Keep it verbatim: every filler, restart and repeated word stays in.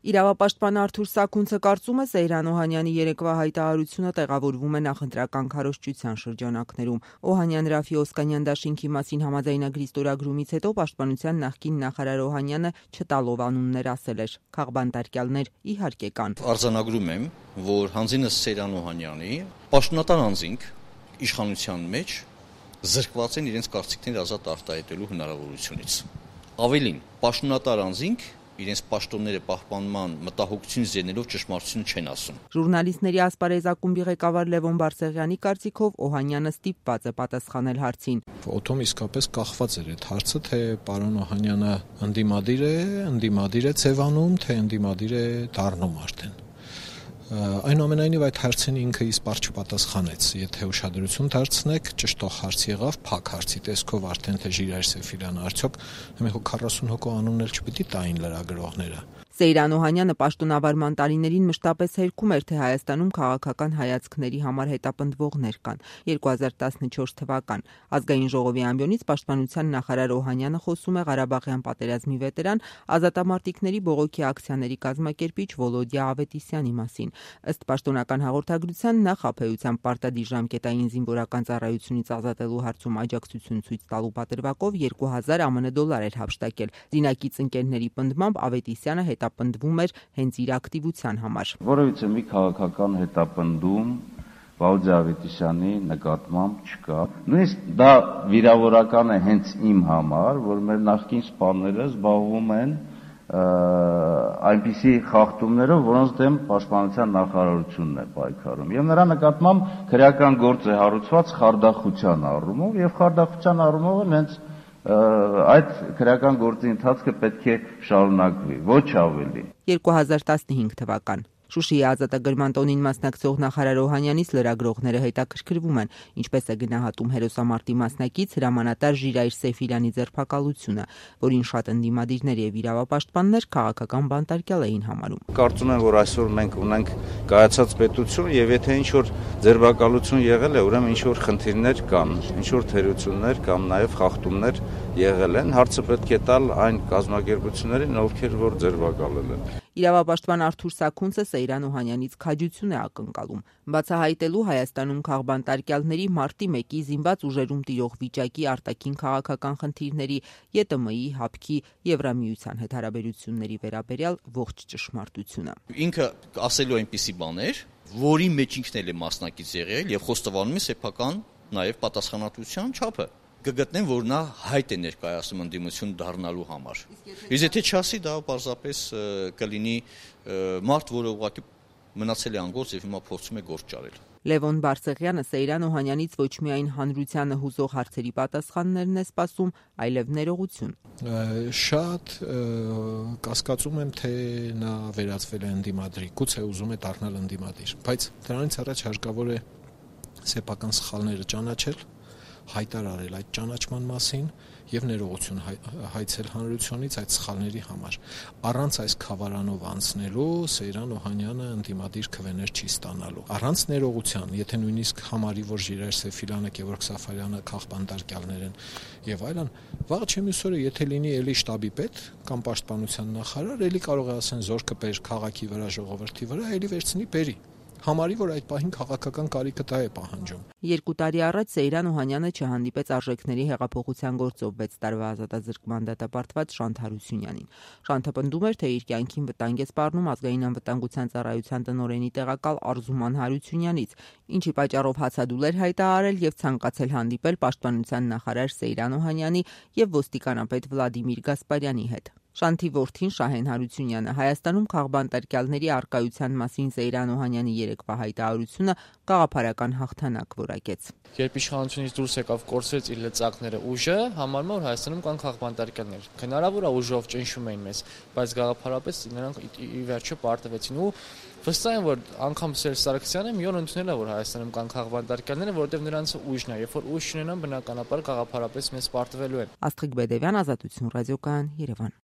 Իրավապաշտպան Արթուր Սաքունցը կարծում է, Սեյրան Օհանյանի երեկվա հայտարարությունը տեղավորվում է նախընտրական քարոզչության շրջանակներում։ Օհանյան-Ռաֆի Օսկանյան դաշինքի մասին համաձայնագրի ստորագրումից հետո պաշտպանության նախկին նախարար Օհանյանը չտալով անուններ ասել էր. «Քաղբանտարկյալներ իհարկե կան»։ Արձանագրում եմ, որ հանձինս Սեյրան Օհանյանի պաշտոնատար անձինք իշխանության մեջ զրկված են իրենց կարծիքները ազատ արտահայտելու հնարավորությունից։ Ավելին, պաշտոնատար անձինք իրենց պաշտոնները պահպանման մտահոգությունից ելնելով ճշմարտությունը չեն ասում։ Ժուրնալիստների ասպարեզ ակումբի ղեկավար Լևոն Բարսեղյանի կարծիքով Օհանյանը ստիպված է պատասխանել հարցին։ Օդում իսկապես կախված էր այդ հարցը, թե պարոն Օհանյանը ընդդիմադիր է, ընդդիմադիր է ձևանում, թե ընդդիմադիր է դառնում արդեն։ Այնուամենայնիվ այդ հարցին ինքը իսպառ չպատասխանեց։ Եթե ուշադրություն դարձնեք, ճշտող հարց եղավ, փակ հարցի տեսքով արդեն թե Ժիրայր Սեֆիրյանը արդյոք մի քառասուն հոգու անուններ չպիտի տային լրագրողները։ Սեյրան Օհանյանը պաշտոնավարման տարիներին մշտապես հերքում էր, թե Հայաստանում քաղաքական հայացքների համար հետապնդվողներ կան։ երկու հազար տասնչորս թվական Ազգային ժողովի ամբիոնից պաշտպանության նախարար Օհանյանը խոսում է Ղարաբաղյան պատերազմի վետերան, ազատամարտիկների բողոքի ակցիաների կազմակերպիչ Վոլոդյա Ավետիսյանի մասին։ Ըստ պաշտոնական հաղորդագրության, նա խաբեության պարտադիր ժամկետային զինվորական ծառայությունից ազատելու հարցում աջակցություն ցույց տալու պատրվակով երկու հազար ԱՄՆ դոլար էր հափշտակել։ Զինակից ընկերների պնդմամբ Ավետիսյանը հետապնդվում էր հենց իր ակտիվության համար։ Որևիցե մի քաղաքական հետապնդում Վալդյա Ավետիսյանի նկատմամբ չկա։ Նույնիսկ դա վիրավորական է հենց իմ համար, որ մեր նախկին սպաները զբաղվում են այնպիսի խախտումներով, որոնց դեմ պաշտպանության նախարարությունն է պայքարում։ Եվ նրա նկատմամբ քրեական գործ է հարուցված խարդախության առումով, եւ խարդախության առումով հենց այդ քրեական գործի ընթացքը պետք է շարունակվի, ոչ ավելի։ երկու հազար տասնհինգ թվական Շուշիի ազատագրման տոնին մասնակցող նախարար Օհանյանից լրագրողները հետաքրքրվում են, ինչպես է գնահատում հերոսամարտի մասնակից հրամանատար Ժիրայր Սեֆիրյանի ձերբակալությունը, որին շատ ընդդիմադիրներ եւ իրավապաշտպաններ քաղաքական բանտարկյալ էին համարում։ Կարծում եմ, որ այսօր մենք ունենք կայացած պետություն եւ եթե ինչ որ ձերբակալություն եղել է, ուրեմն ինչ որ խնդիրներ կան, ինչ որ թերություններ կամ նաեւ խախտումներ եղել են, հարցը պետք է տալ այն կազմակերպություններին, ովքեր որ ձերբակալել են։ Իրավապաշտպան Արթուր Սաքունցը Սեյրան Օհանյանից քաջություն է ակնկալում, բացահայտելու Հայաստանում քաղբանտարկյալների մարտի մեկի զինված ուժերում տիրող վիճակի արտաքին քաղաքական խնդիրների, ԵՏՄ-ի, ՀԱՊԿ-ի, Եվրամիության հետ հարաբերությունների վերաբերյալ ողջ ճշմարտությունը։ Ինքը ասելու այնպիսի բաներ, որի մեջ ինքն էլ է մասնակից եղել եւ խոստովանում է սեփական նաեւ պատասխանատվության չափը։ Կգտնեն, որ նա հայտ է ներկայացնում ընդդիմություն դառնալու համար։ Իսկ եթե չասի, դա պարզապես կլինի մարդ, որը ուղղակի մնացել է անգործ եւ հիմա փորձում է գործ ճարել։ Լևոն Բարսեղյանը Սեյրան Օհանյանից ոչ միայն հանրությանը հուզող հարցերի պատասխաններն է սպասում, այլև ներողություն։ Շատ կասկածում եմ, թե նա վերածվել է ընդդիմադրի, գուցե ուզում է դառնալ ընդդիմադիր, բայց դրանից առաջ հարկավոր է սեփական սխալները ճանաչել, հայտարարել այդ ճանաչման մասին եւ ներողություն հայցել հանրությունից այդ սխալների համար։ Առանց այս խավարանով անցնելու Սեյրան Օհանյանը ընդդիմադիր քվեներ չի ստանալու։ Առանց ներողության, եթե նույնիսկ համարի, որ Ժիրայր Սեֆիրյանը, Գևորգ Սաֆարյանը քաղբանտարկյալներ են եւ այլն, վաղ չէ մյուս օրը եթե լինի էլի շտաբի պետ կամ պաշտպանության նախարար, էլի կարող է ասեն զորքը բեր քաղաքի վրա, ժողովրդի վրա, էլի վերցնի բերի։ Համարի, որ այդ պահին քաղաքական կարիքը դա է պահանջում։ Երկու տարի առաջ Սեյրան Օհանյանը չհանդիպեց արժեքների հեղափոխության գործով վեց տարվա ազատազրկման դատապարտված Շանթ Հարությունյանին։ Շանթը պնդում էր, թե իր կյանքին վտանգ է սպառնում ազգային անվտանգության ծառայության տնօրենի տեղակալ Արզուման Հարությունյանից, ինչի պատճառով հացադուլ էր հայտարարել եւ ցանկացել հանդիպել պաշտպանության նախարար Սեյրան Օհանյանի եւ ոստիկանապետ Վլադիմիր Գասպարյանի հետ։ Շանթի որդին Շահեն Հարությունյանը Հայաստանում քաղբանտարկյալների առկայության մասին Սեյրան Օհանյանի երեկվա հայտարարությունը գաղափարական հաղթանակ որակեց։ Երբ իշխանությունից դուրս եկավ կորցրեց իր լծակները ուժը, համարում որ Հայաստանում կան քաղբանտարկյալներ։ Հնարավոր է ուժով ճնշում էին մեզ, բայց գաղափարապես նրանք ի վերջո պարտվեցին ու վստահ եմ, որ անգամ Սերժ Սարգսյանը մի օր ընդունել է, որ Հայաստանում կան քաղբանտարկյալներ, որովհետև նրանց ուժն է, երբ որ ուժ չունենան, բնականաբար գաղափարապես մեզ պարտվելու են։ Աստղիկ Բեդևյան, Ազատություն ռադիոկայան, Երևան։